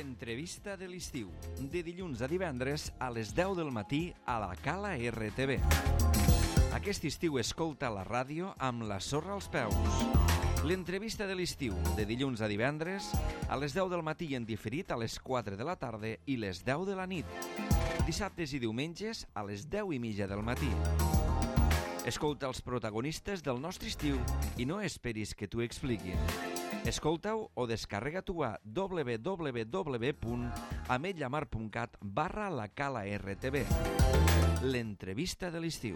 L'entrevista de l'estiu, de dilluns a divendres a les 10 del matí a la Cala RTV. Aquest estiu escolta la ràdio amb la sorra als peus. L'entrevista de l'estiu, de dilluns a divendres a les 10 del matí i en diferit a les 4 de la tarda i les 10 de la nit. Dissabtes i diumenges a les 10:30 del matí. Escolta els protagonistes del nostre estiu i no esperis que t'ho expliquin. Escolta-ho o descarrega-t'ho a www.ametlllamar.cat/la Cala RTV. L'entrevista de l'estiu.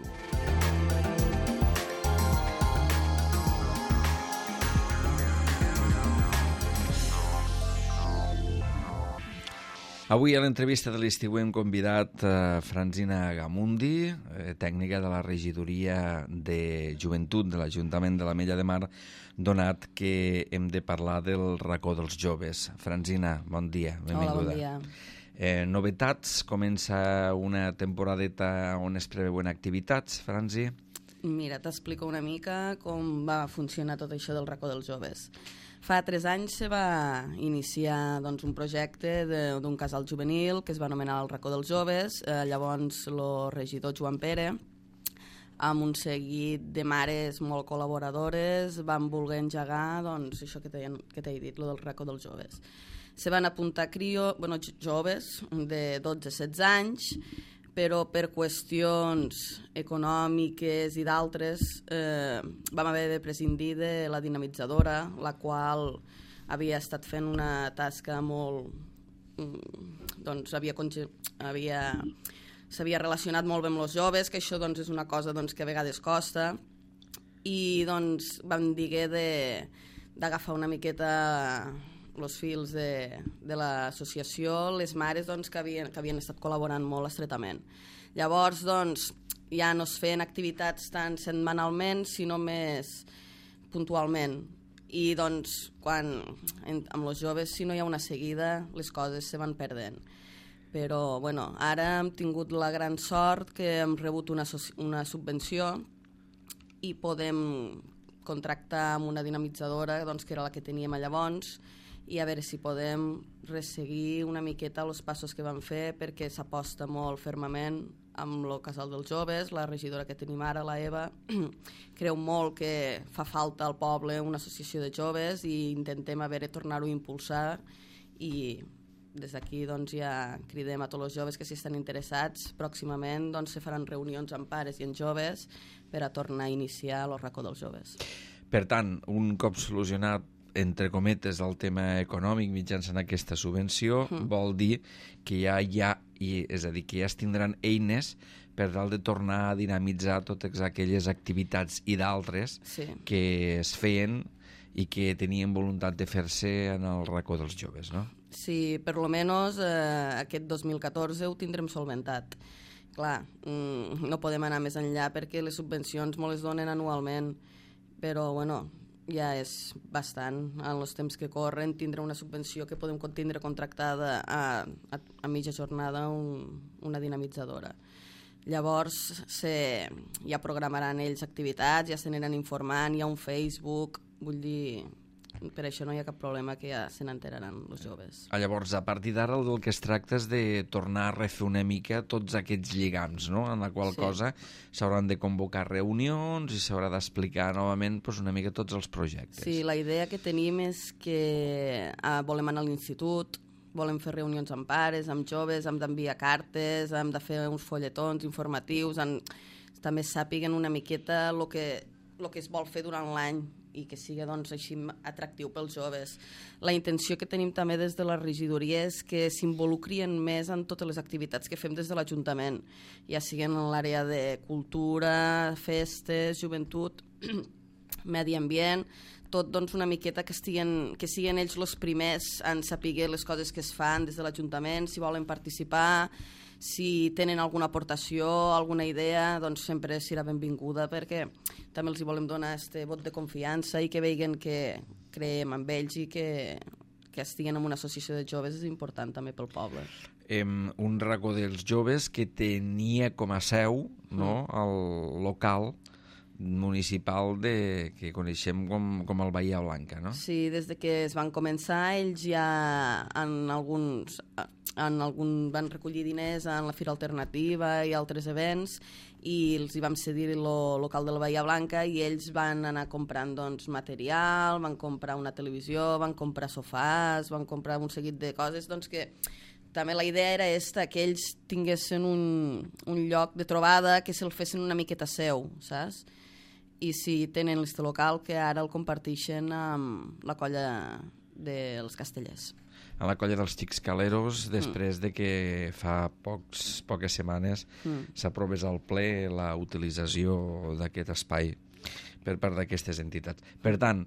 Avui a l'entrevista de l'estiu hem convidat Francina Gamundi, tècnica de la regidoria de joventut de l'Ajuntament de l'Ametlla de Mar, donat que hem de parlar del racó dels joves. Francina, bon dia, benvinguda. Hola, bon dia. Novetats, comença una temporadeta on es preveuen activitats, Franci? Mira, t'explico una mica com va funcionar tot això del racó dels joves. Fa 3 anys se va iniciar un projecte d'un casal juvenil que es va anomenar el racó dels joves. Llavors el regidor Joan Pere, amb un seguit de mares molt col·laboradores, van voler engegar això que t'he dit, lo del racó dels joves. Se van apuntar joves de 12-16 anys, però per qüestions econòmiques i d'altres vam haver de prescindir de la dinamitzadora, la qual havia estat fent una tasca molt... s'havia relacionat molt bé amb els joves, que això és una cosa que a vegades costa, i vam dir d'agafar una miqueta els fils de l'associació, les mares que havien estat col·laborant molt estretament. Llavors, ja no es feien activitats tan setmanalment, sinó més puntualment. I quan amb els joves, si no hi ha una seguida, les coses se van perdent. Però ara hem tingut la gran sort que hem rebut una subvenció i podem contractar amb una dinamitzadora, que era la que teníem llavors, i a veure si podem resseguir una miqueta els passos que vam fer, perquè s'aposta molt fermament amb el casal dels joves. La regidora que tenim ara, la Eva, creu molt que fa falta al poble una associació de joves i intentem tornar-ho a impulsar, i des d'aquí ja cridem a tots els joves que si estan interessats, pròximament se faran reunions amb pares i amb joves per a tornar a iniciar el racó dels joves. Per tant, un cop solucionat entre cometes el tema econòmic mitjançant aquesta subvenció, vol dir que és a dir, que ja es tindran eines per tal de tornar a dinamitzar totes aquelles activitats i d'altres que es feien i que tenien voluntat de fer-se en el racó dels joves, no? Sí, per lo menos aquest 2014 ho tindrem solventat. Clar, no podem anar més enllà perquè les subvencions me les donen anualment, però ja és bastant. En els temps que corren tindre una subvenció que podem tindre contractada a mitja jornada una dinamitzadora. Llavors ja programaran ells activitats, ja se n'aniran informant, hi ha un Facebook, vull dir, per això no hi ha cap problema, que ja se n'enteraran els joves. Llavors, a partir d'ara del que es tracta és de tornar a refer una mica tots aquests lligams, no? En la qual cosa s'hauran de convocar reunions i s'haurà d'explicar novament una mica tots els projectes. Sí, la idea que tenim és que volem anar a l'institut, volem fer reunions amb pares, amb joves, hem d'enviar cartes, hem de fer uns folletons informatius, també sàpiguen una miqueta el que es vol fer durant l'any i que sigui així atractiu pels joves. La intenció que tenim també des de la regidoria és que s'involucrien més en totes les activitats que fem des de l'Ajuntament, ja siguin en l'àrea de cultura, festes, joventut, medi ambient, tot una miqueta que siguin ells els primers en saber les coses que es fan des de l'Ajuntament, si volen participar, si tenen alguna aportació, alguna idea, sempre serà benvinguda, perquè també els volem donar este vot de confiança i que vegin que creiem en ells i que estiguen en una associació de joves és important també pel poble. Un racó dels joves que tenia com a seu el local municipal que coneixem com el Bahia Blanca, no? Sí, des de que es van començar, ells ja van recollir diners en la Fira Alternativa i altres events, i els hi vam cedir el local de la Bahia Blanca, i ells van anar comprant doncs, material, van comprar una televisió, van comprar sofàs, van comprar un seguit de coses, doncs que també la idea era que ells tinguessin un lloc de trobada, que se'l fessin una miqueta seu, saps? I si tenen l'este local, que ara el comparteixen amb la colla dels Castellers. A la colla dels Xics Caleros, després de que fa poques setmanes s'aprovés al ple la utilització d'aquest espai per part d'aquestes entitats. Per tant,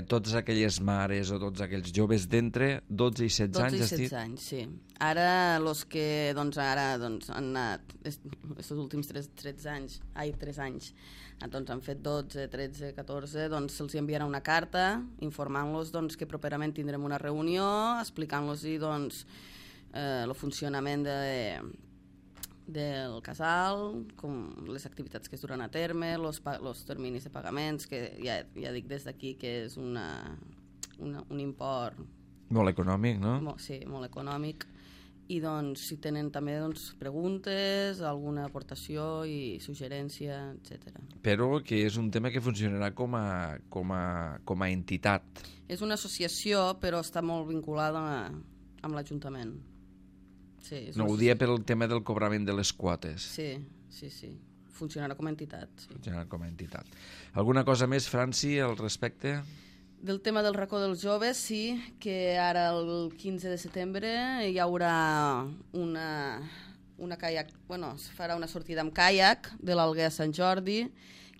totes aquelles mares o tots aquells joves d'entre 12 i 16 anys... 12 i 16 anys, sí. Ara, els que han anat aquests últims 3 anys, doncs han fet 12, 13, 14, doncs se'ls enviarà una carta informant-los doncs, que properament tindrem una reunió, explicant-los doncs, el funcionament del casal, com les activitats que es duran a terme, els terminis de pagaments, que ja dic des d'aquí que és un import... Molt econòmic, no? Sí, molt econòmic. I doncs, si tenen també preguntes, alguna aportació i suggerència, etc. Però que és un tema que funcionarà com a entitat. És una associació, però està molt vinculada amb l'Ajuntament. Sí, no, ho dia pel tema del cobrament de les quotes. Sí. Funcionarà com a entitat. Sí. Funcionarà com a entitat. Alguna cosa més, Franci, al respecte? Del tema del racó dels joves, sí, que ara el 15 de setembre hi haurà una caiac, es farà una sortida amb caiac de l'Alguer a Sant Jordi,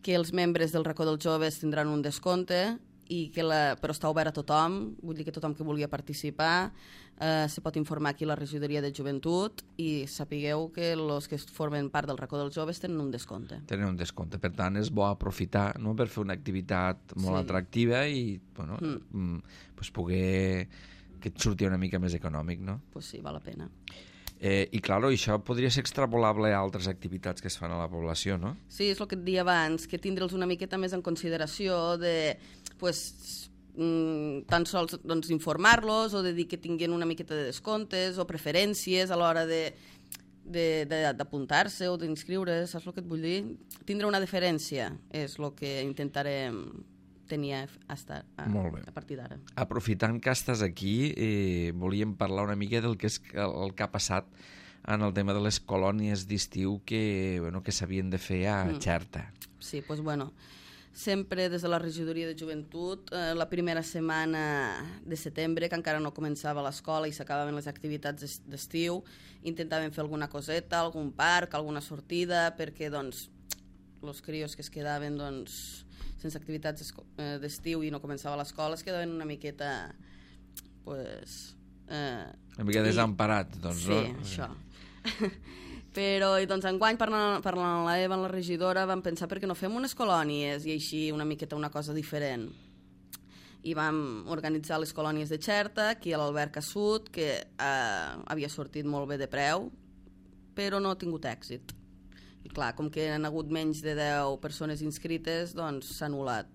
que els membres del racó dels joves tindran un descompte, però està obert a tothom, vull dir que tothom que vulgui participar se pot informar aquí a la regidoria de joventut, i sapigueu que els que formen part del racó dels joves tenen un descompte. Tenen un descompte, per tant és bo aprofitar, no?, per fer una activitat molt atractiva i poder que et surti una mica més econòmic, no? Pues sí, val la pena. I clar, això podria ser extrapolable a altres activitats que es fan a la població, no? Sí, és el que et deia abans, que tindre'ls una miqueta més en consideració de, tan sols informar-los o de dir que tinguin una miqueta de descomptes o preferències a l'hora d'apuntar-se o d'inscriure's, saps el que et vull dir? Tindre una diferència és el que intentarem tenir a partir d'ara. Aprofitant que estàs aquí, volíem parlar una mica del que ha passat en el tema de les colònies d'estiu que s'havien de fer a Xerta. Sí, doncs sempre des de la regidoria de joventut, la primera setmana de setembre, que encara no començava l'escola i s'acabaven les activitats d'estiu, intentàvem fer alguna coseta, algun parc, alguna sortida, perquè els crios que es quedaven sense activitats d'estiu i no començava l'escola es quedaven una miqueta una mica desemparats, no? Sí, això. Però enguany, parlant amb l'Eva, amb la regidora, vam pensar per què no fem unes colònies i així una miqueta una cosa diferent. I vam organitzar les colònies de Xerta, aquí a l'Alberca Sud, que havia sortit molt bé de preu, però no ha tingut èxit. I clar, com que han hagut menys de 10 persones inscrites, doncs s'ha anul·lat.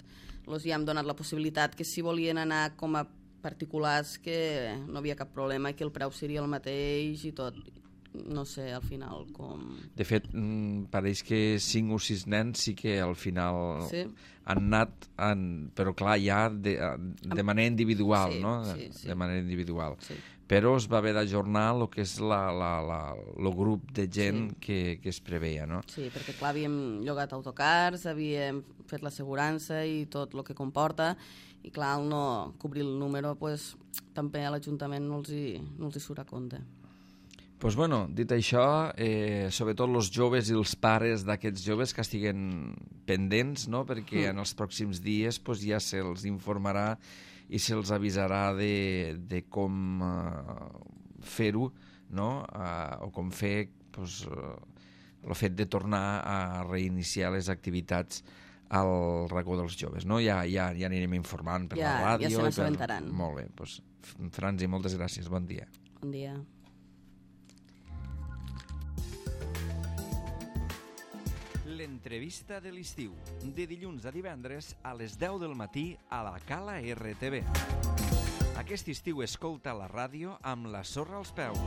Els ja hem donat la possibilitat que si volien anar com a particulars que no havia cap problema i que el preu seria el mateix i tot. No sé, al final com... De fet, pareix que 5 o 6 nens sí que al final han anat, però clar, ja de manera individual, no? Sí. De manera individual. Sí. Però es va haver d'ajornar el que és el grup de gent que es preveia, no? Sí, perquè clar, havíem llogat autocars, havíem fet l'assegurança i tot el que comporta, i clar, al no cobrir el número, també a l'Ajuntament no els hi surt a compte. Doncs dit això, sobretot els joves i els pares d'aquests joves que estiguen pendents, no?, perquè en els pròxims dies ja se'ls informarà i se'ls avisarà de com fer-ho, no?, o com fer el fet de tornar a reiniciar les activitats al racó dels joves, no? Ja anirem informant per la ràdio. Ja se n'assabentaran. Molt bé, Franci, moltes gràcies, bon dia. Bon dia. L'entrevista de l'estiu, de dilluns a divendres a les 10 del matí a la Cala RTV. Aquest estiu escolta la ràdio amb la sorra als peus.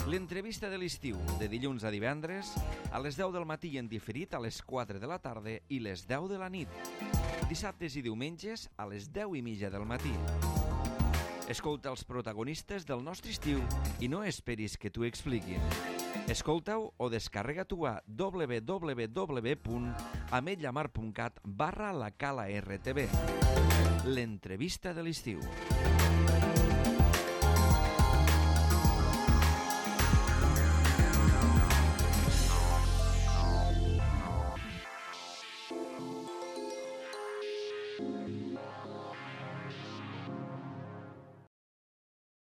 L'entrevista de l'estiu, de dilluns a divendres a les 10 del matí en diferit a les 4 de la tarda i les 10 de la nit. Dissabtes i diumenges a les 10:30 del matí. Escolta els protagonistes del nostre estiu i no esperis que t'ho expliquin. Escolta-ho o descarrega-t'ho a www.ametlllamar.cat/la Cala RTV. L'entrevista de l'estiu.